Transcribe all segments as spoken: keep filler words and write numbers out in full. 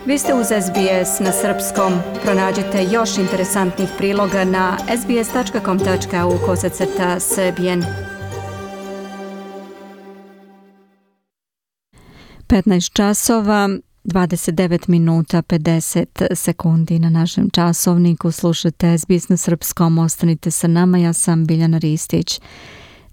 Vi ste uz S B S na srpskom. Pronađite još interesantnih priloga na sbs tačka com tačka a u kosacrta srbijen. petnaest časova, dvadeset devet minuta, pedeset sekundi na našem časovniku. Slušate S B S na srpskom. Ostanite sa nama, ja sam Biljana Ristić.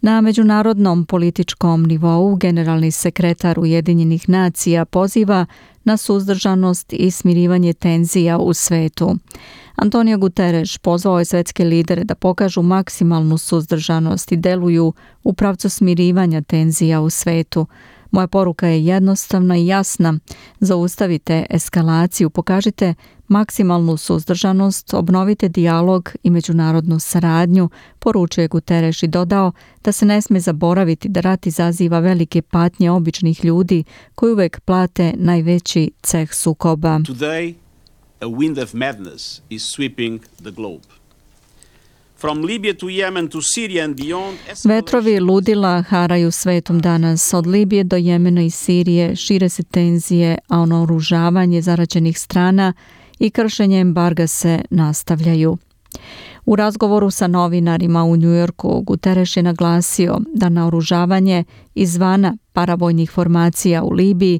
Na međunarodnom političkom nivou generalni sekretar Ujedinjenih nacija poziva na suzdržanost i smirivanje tenzija u svetu. Antonio Guterres pozvao je svetske lidere da pokažu maksimalnu suzdržanost i deluju u pravcu smirivanja tenzija u svetu. Moja poruka je jednostavna i jasna. Zaustavite eskalaciju, pokažite maksimalnu suzdržanost, obnovite dijalog i međunarodnu saradnju, poručio je Guterres i dodao da se ne sme zaboraviti da rat izaziva velike patnje običnih ljudi koji uvek plate najveći ceh sukoba. Today, a wind of madness is sweeping the globe. From Libya to Yemen to Syria and beyond. Vetrovi ludila haraju svetom danas. Od Libije do Jemena i Sirije šire se tenzije, a naoružavanje zaraćenih strana i kršenje embarga se nastavljaju. U razgovoru sa novinarima u Njujorku, Guterres je naglasio da naoružavanje izvana paravojnih formacija u Libiji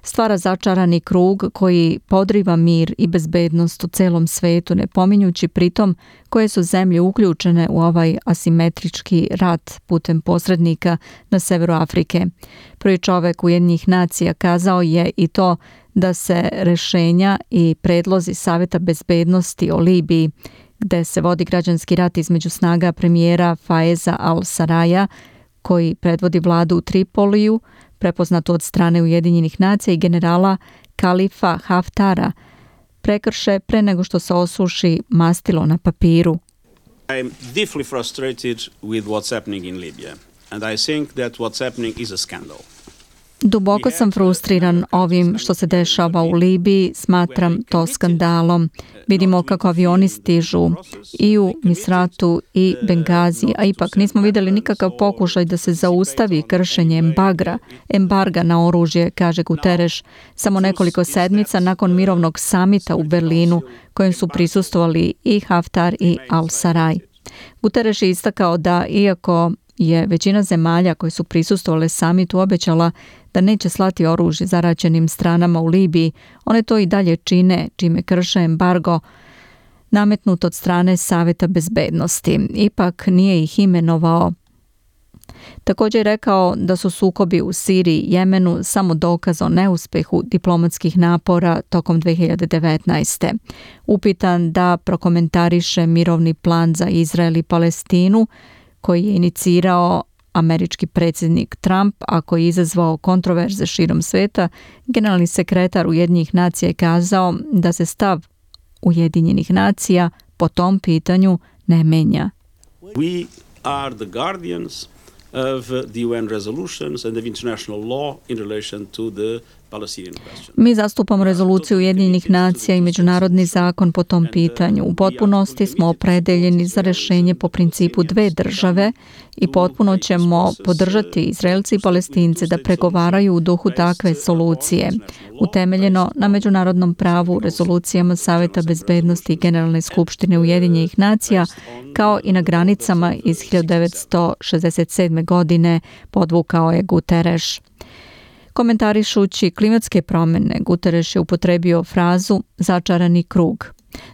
stvara začarani krug koji podriva mir i bezbednost u celom svetu, ne pominjući pritom koje su zemlje uključene u ovaj asimetrički rat putem posrednika na severu Afrike. Prvi čovek Ujedinjenih nacija kazao je i to da se rešenja i predlozi Saveta bezbednosti o Libiji, gde se vodi građanski rat između snaga premijera Faiza al-Saraja, koji predvodi vladu u Tripoliju, prepoznato od strane Ujedinjenih nacija, i generala Kalifa Haftara, prekrše pre nego što se osuši mastilo na papiru. I am deeply frustrated with what's happening in Libya, and I think that what's happening is a scandal. Duboko sam frustriran ovim što se dešava u Libiji, smatram to skandalom. Vidimo kako avioni stižu i u Misratu i Bengazi, a ipak nismo vidjeli nikakav pokušaj da se zaustavi kršenje embarga, embarga na oružje, kaže Guterres, samo nekoliko sedmica nakon mirovnog samita u Berlinu, kojem su prisustvovali i Haftar i al-Saraj. Guterres je istakao da iako je većina zemalja koje su prisustvovale samitu obećala da neće slati oružje zaraćenim stranama u Libiji, one to i dalje čine, čime krše embargo nametnut od strane Saveta bezbednosti. Ipak nije ih imenovao. Također je rekao da su sukobi u Siriji i Jemenu samo dokaz o neuspehu diplomatskih napora tokom dve hiljade devetnaeste. Upitan da prokomentariše mirovni plan za Izrael i Palestinu, koji je inicirao američki predsjednik Trump, a koji je izazvao kontroverze širom sveta, generalni sekretar Ujedinjenih nacija je kazao da se stav Ujedinjenih nacija po tom pitanju ne menja. We are the guardians of the U N resolutions and of international law in relation to the Palestinian question. Mi zastupamo rezoluciju Ujedinjenih nacija i međunarodni zakon po tom pitanju. U potpunosti smo opredeljeni za rješenje po principu dve države i potpuno ćemo podržati Izraelci i Palestince da pregovaraju u duhu takve solucije, utemeljeno na međunarodnom pravu, rezolucijama Saveta bezbednosti i Generalne skupštine Ujedinjenih nacija, kao i na granicama iz hiljadu devetsto šezdeset sedme. godine, podvukao je Guterres. Komentarišući klimatske promjene, Guterres je upotrebio frazu začarani krug.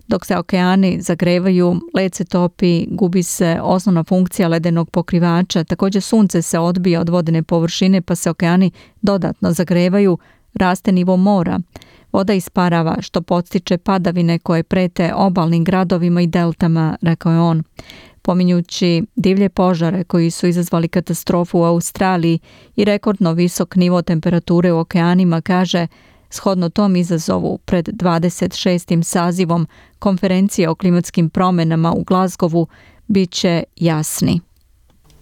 Dok se okeani zagrevaju, led se topi, gubi se osnovna funkcija ledenog pokrivača, također sunce se odbija od vodene površine pa se okeani dodatno zagrevaju, raste nivo mora. Voda isparava što podstiče padavine koje prete obalnim gradovima i deltama, rekao je on. Pominjući divlje požare koji su izazvali katastrofu u Australiji i rekordno visok nivo temperature u okeanima, kaže, shodno tom izazovu pred dvadeset šestim sazivom konferencije o klimatskim promjenama u Glasgowu bit će jasni.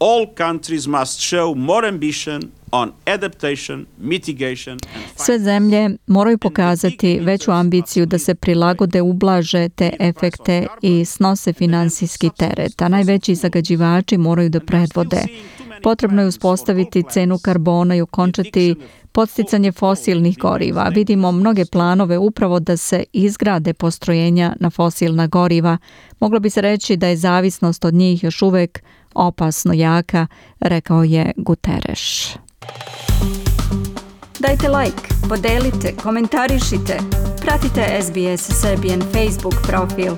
All countries must show more ambition on adaptation, mitigation and Sve zemlje moraju pokazati veću ambiciju da se prilagode, ublaže te efekte i snose finansijski teret, a najveći zagađivači moraju da predvode. Potrebno je uspostaviti cenu karbona i okončati podsticanje fosilnih goriva. Vidimo mnoge planove upravo da se izgrade postrojenja na fosilna goriva. Moglo bi se reći da je zavisnost od njih još uvek opasno jaka, rekao je Guterres. Dajte like, podelite, komentarišite, pratite S B S Serbian Facebook profil.